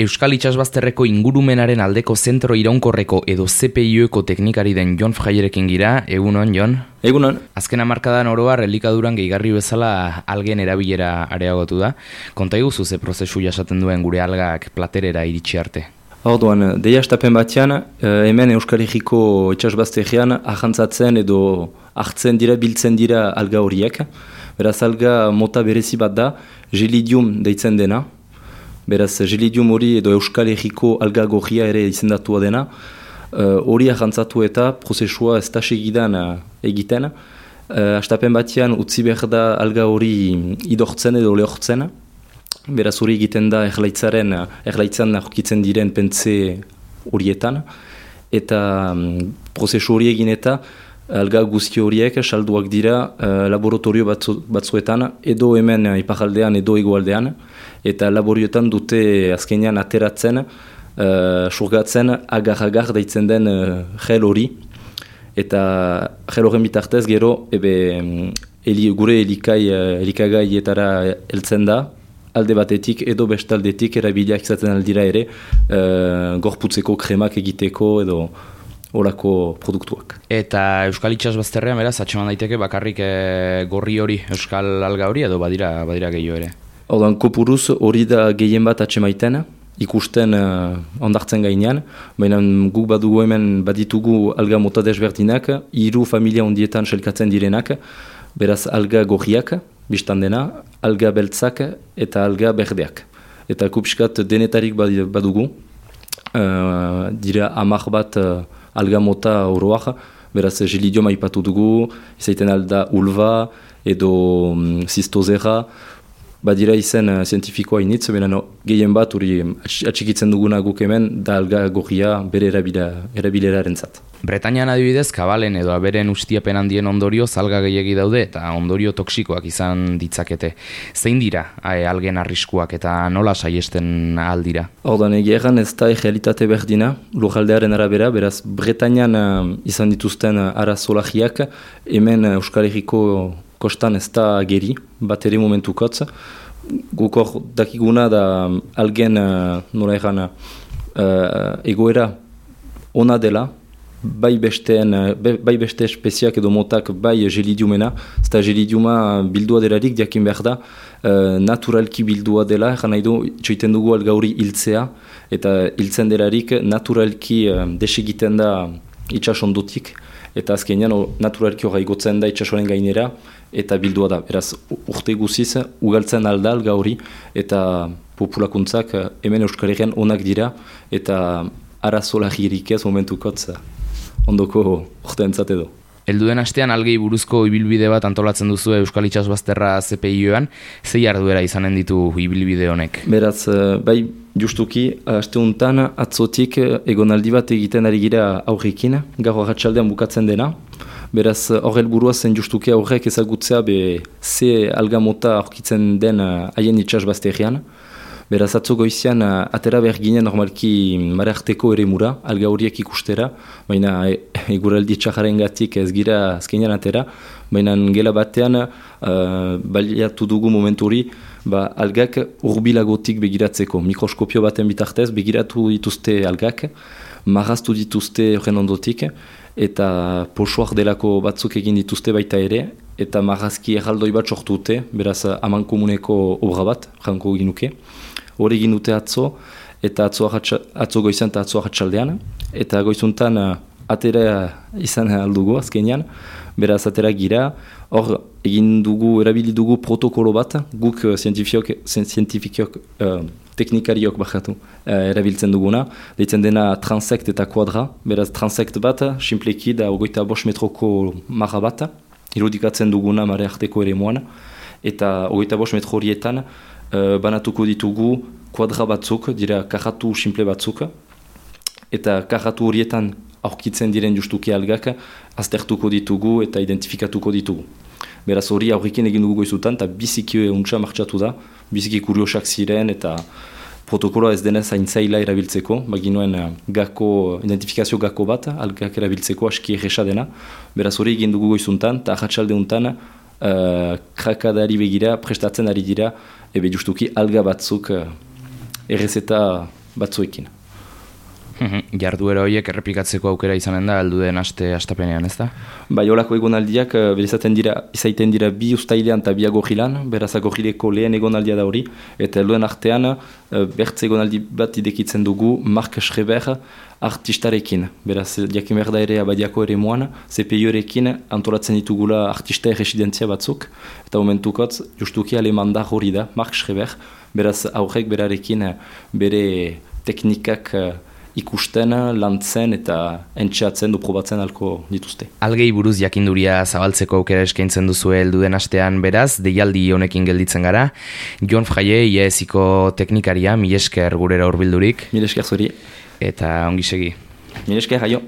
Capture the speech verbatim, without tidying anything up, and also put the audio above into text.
Euskal Itsasbazterreko ingurumenaren aldeko zentro iraunkorreko edo C P I Eko teknikari den Jon Fraierekin gira. Egunon, Jon? Egunon. Azken hamarkadan oroar elikaduran gehigarri bezala algen erabilera areagotu da. Konta iguzu ze prozesu jasaten duen gure algak platerera iritsi arte? Orduan, deia estapen batean, hemen Euskal Herriko Itsasbazterrean ahantzatzen edo hartzen dira, biltzen dira alga horiek. Beraz, alga mota berezi bat da, gelidium deitzen dena. Beraz, gelidium hori edo Euskal Herriko alga gorria ere izendatua dena. Hori uh, ahantzatu eta prozesua ez da segidan uh, egiten. Uh, astapen batean utzi behar da alga hori idortzen edo lehortzen. Beraz, hori egiten da erlaitzaren, erlaitzan aurkitzen diren pentze horietan. Eta um, prozesu hori egin eta alga guzti horiek salduak dira uh, laboratorio batzu, batzuetan edo hemen uh, iparaldean edo egoaldean. Eta laborioetan dute azkenean ateratzen, uh, surgatzen agar-agar deitzen den uh, gel hori. Eta gel horren bitartez gero ebe, eli, gure elikai, uh, elikagaietara heltzen da, alde batetik edo bestaldetik erabiliak izaten aldira ere, uh, gorputzeko kremak egiteko edo horako produktuak. Eta Euskal Itsasbazterrean beraz, atxeman daiteke bakarrik e, gorri hori, Euskal alga hori edo badira, badira gehiago ere? Ordan kopuruz hori da gehien bat atxemaiten, ikusten uh, ondartzen gainean, baina guk badugu hemen baditugu alga mota desberdinak, hiru familia ondietan selkatzen direnak, beraz alga gorriak, biztan dena, alga beltzak eta alga berdeak. Eta kupskat denetarik badugu, uh, dira hamar bat uh, alga mota oroak, beraz gelidium aipatu dugu, izaiten alda ulva edo um, zistozera, badira izen uh, zientifikoa initz, baina no, gehien bat hori atxikitzen duguna guk hemen da alga gorria bere erabileraren zat. Bretañan adibidez, kabalen edo aberen ustiapen handien ondorio alga gehiegi daude eta ondorio toksikoak izan ditzakete. Zein dira e, algen arriskuak eta nola saiesten aldira? Ordan egeran ez da realitate berdina, lujaldearen arabera, beraz Bretañan uh, izan dituzten uh, arazolagiak, hemen uh, Euskal Herriko kostan ez da geri, bat ere momentukotz. Gukor dakiguna da algen uh, nola egan uh, egoera ona dela, bai besteen, bai beste espeziak edo motak bai gelidiumena, eta gelidiuma bildua delarik diakin behar da, uh, naturalki bildua dela, egan nahi du, txoiten dugu alga hori hiltzea, eta hiltzen delarik naturalki uh, desegiten da itsasondotik, eta azkenean naturalki hori igotzen da itsasoren gainera, eta bildua da. Beraz, urte guziz, ugaltzen alda alga hori, eta populakuntzak hemen Euskal Herrian onak dira, eta arazolagirik ez momentukotz ondoko urte entzat edo. Elduden astean algei buruzko ibilbide bat antolatzen duzu Euskal Itsasbazterra C P I-oan, zei arduera izanen ditu ibilbide honek? Beraz, bai, justuki, aste untan atzotik egonaldi bat egiten ari gira aurrekin, gaur arratsaldean bukatzen dena. Beraz, horrel burua zen justuki aurrek ezagutzea be ze alga mota aurkitzen den haien Itsasbazterrean. Beraz, atzo goizian, atera behar ginen normalki marearteko ere mura, alga horiek ikustera, baina eguraldi txajaren gatik ez gira azkenean atera, baina gela batean uh, baliatu dugu momentu hori, ba, algak urbilagotik begiratzeko, mikroskopio baten bitartez begiratu dituzte algak, marraztu dituzte horren ondotik, eta posoak delako batzuk egin dituzte baita ere, eta marrazki erraldoi bat sortute, beraz aman komuneko obra bat, janko ginuke. Hori egin dute atzo, eta atzo, atzo goizan eta atzo ahatsaldean, eta goizuntan atera izan aldugu azkenean, beraz atera gira, hor egin dugu, erabili dugu protokolo bat, guk zientifikiok, uh, teknikariok bakatu uh, erabiltzen duguna, deitzen dena transekt eta kuadra, beraz transekt bat, simpleki da ogoita bost metroko marra bat, irudikatzen duguna mare arteko ere moan, eta ogoita bost metro horietan, Uh, banatuko ditugu kuadra batzuk, dira kajatu simple batzuk, eta kajatu horietan aurkitzen diren justuki algak aztertuko ditugu eta identifikatuko ditugu. Beraz hori aurrekin egin dugu goizutan, eta biziki untsa martxatu da, biziki kuriosak ziren, eta protokoloa ez denez haintzaila erabiltzeko, baginuen gako, identifikazio gako bat, algak erabiltzeko aski erresa dena. Beraz hori egin dugu goizuntan, eta ahatsalde untan, Uh, krakadari begira, prestatzen ari dira, ebe justuki alga batzuk uh, errezeta batzuekin. Jarduera horiek errepikatzeko aukera izanen da, aldu den aste astapenean, ez da? Bai, holako egonaldiak, berizaten dira, izaiten dira bi ustailean eta bi agogilan, beraz agogileko lehen egonaldia da hori, eta helduen artean, bertze egonaldi bat idekitzen dugu, Mark Schreber artistarekin. Beraz, jakin behar da ere abadiako ere moan, C P I-rekin antolatzen ditugula artista erresidentzia batzuk, eta momentukotz, justuki alemandar hori da, Mark Schreber, beraz, aurrek berarekin bere teknikak ikusten, lantzen eta entxeatzen du probatzen alko dituzte. Algei buruz jakinduria zabaltzeko aukera eskaintzen duzu helduen astean beraz, deialdi honekin gelditzen gara. Jon Fraile, I A S-iko teknikaria, mil esker gurera hurbildurik. Mil esker zuri. Eta ongi segi. Mil esker, jaio.